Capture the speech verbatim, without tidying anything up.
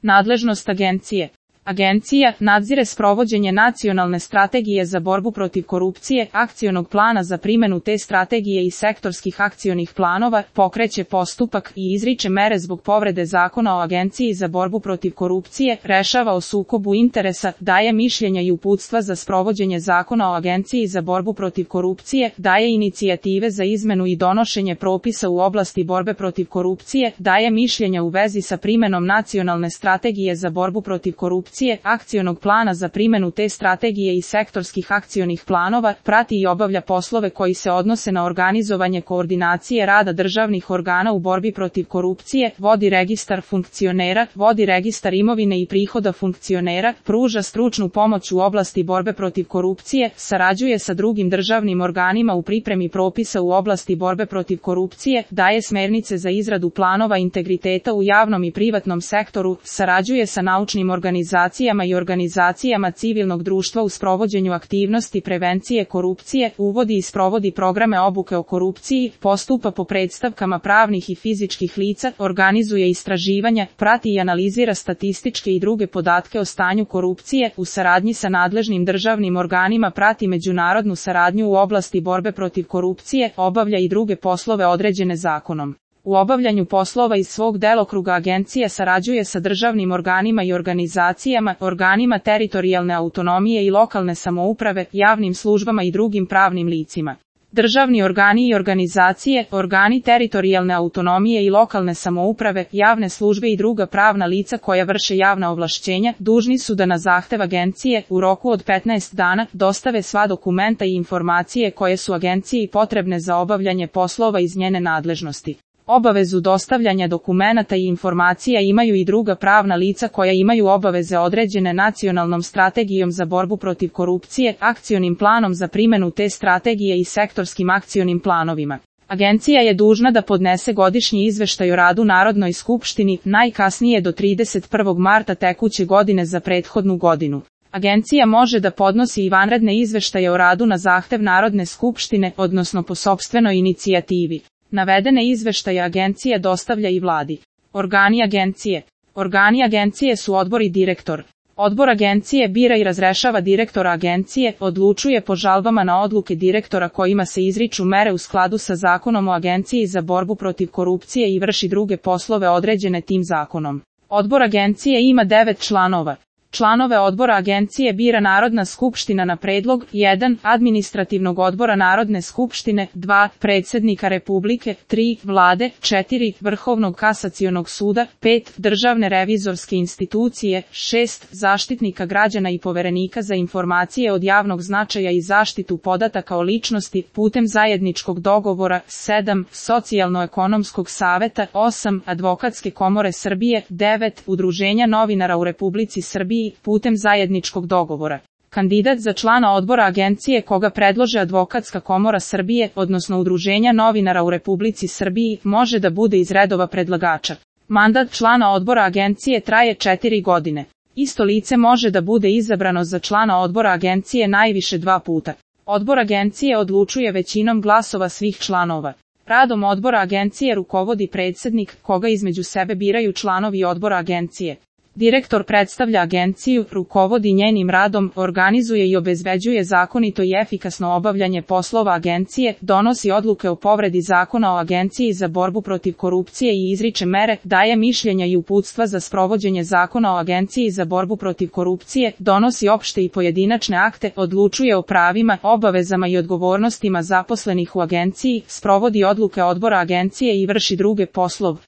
Nadležnost agencije. Agencija nadzire sprovođenje nacionalne strategije za borbu protiv korupcije, akcionog plana za primjenu te strategije i sektorskih akcionih planova, pokreće postupak i izriče mere zbog povrede Zakona o Agenciji za borbu protiv korupcije, rešava o sukobu interesa, daje mišljenja i uputstva za sprovođenje Zakona o Agenciji za borbu protiv korupcije, daje inicijative za izmenu i donošenje propisa u oblasti borbe protiv korupcije, daje mišljenja u vezi sa primjenom nacionalne strategije za borbu protiv korupcije, akcionog plana za primjenu te strategije i sektorskih akcionih planova, prati i obavlja poslove koji se odnose na organizovanje koordinacije rada državnih organa u borbi protiv korupcije, vodi registar funkcionera, vodi registar imovine i prihoda funkcionera, pruža stručnu pomoć u oblasti borbe protiv korupcije, sarađuje sa drugim državnim organima u pripremi propisa u oblasti borbe protiv korupcije, daje smernice za izradu planova integriteta u javnom i privatnom sektoru, sarađuje sa naučnim organizacijama i organizacijama civilnog društva u sprovođenju aktivnosti prevencije korupcije, uvodi i sprovodi programe obuke o korupciji, postupa po predstavkama pravnih i fizičkih lica, organizuje istraživanja, prati i analizira statističke i druge podatke o stanju korupcije, u saradnji sa nadležnim državnim organima prati međunarodnu saradnju u oblasti borbe protiv korupcije, obavlja i druge poslove određene zakonom. U obavljanju poslova iz svog delokruga agencija sarađuje sa državnim organima i organizacijama, organima teritorijalne autonomije i lokalne samouprave, javnim službama i drugim pravnim licima. Državni organi i organizacije, organi teritorijalne autonomije i lokalne samouprave, javne službe i druga pravna lica koja vrše javna ovlašćenja, dužni su da na zahtev agencije, u roku od petnaest dana, dostave sva dokumenta i informacije koje su agenciji potrebne za obavljanje poslova iz njene nadležnosti. Obavezu dostavljanja dokumenata i informacija imaju i druga pravna lica koja imaju obaveze određene nacionalnom strategijom za borbu protiv korupcije, akcionim planom za primjenu te strategije i sektorskim akcionim planovima. Agencija je dužna da podnese godišnji izveštaj o radu Narodnoj skupštini, najkasnije do trideset prvog marta tekuće godine za prethodnu godinu. Agencija može da podnosi i vanredne izveštaje o radu na zahtev Narodne skupštine, odnosno po sopstvenoj inicijativi. Navedene izveštaje agencija dostavlja i vladi. Organi agencije. Organi agencije su odbor i direktor. Odbor agencije bira i razrešava direktora agencije, odlučuje po žalbama na odluke direktora kojima se izriču mere u skladu sa Zakonom o Agenciji za borbu protiv korupcije i vrši druge poslove određene tim zakonom. Odbor agencije ima devet članova. Članove odbora agencije bira Narodna skupština na predlog jedan. Administrativnog odbora Narodne skupštine, dva. Predsjednika Republike, tri. Vlade, četiri. Vrhovnog kasacionog suda, pet. Državne revizorske institucije, šest. Zaštitnika građana i poverenika za informacije od javnog značaja i zaštitu podataka o ličnosti putem zajedničkog dogovora, sedam. Socijalno-ekonomskog saveta, osam. Advokatske komore Srbije, devet. Udruženja novinara u Republici Srbiji putem zajedničkog dogovora. Kandidat za člana odbora agencije koga predlože Advokatska komora Srbije, odnosno Udruženja novinara u Republici Srbiji, može da bude iz redova predlagača. Mandat člana odbora agencije traje četiri godine. Isto lice može da bude izabrano za člana odbora agencije najviše dva puta. Odbor agencije odlučuje većinom glasova svih članova. Radom odbora agencije rukovodi predsjednik, koga između sebe biraju članovi odbora agencije. Direktor predstavlja agenciju, rukovodi njenim radom, organizuje i obezbeđuje zakonito i efikasno obavljanje poslova agencije, donosi odluke o povredi Zakona o Agenciji za borbu protiv korupcije i izriče mere, daje mišljenja i uputstva za sprovođenje Zakona o Agenciji za borbu protiv korupcije, donosi opšte i pojedinačne akte, odlučuje o pravima, obavezama i odgovornostima zaposlenih u agenciji, sprovodi odluke odbora agencije i vrši druge poslove.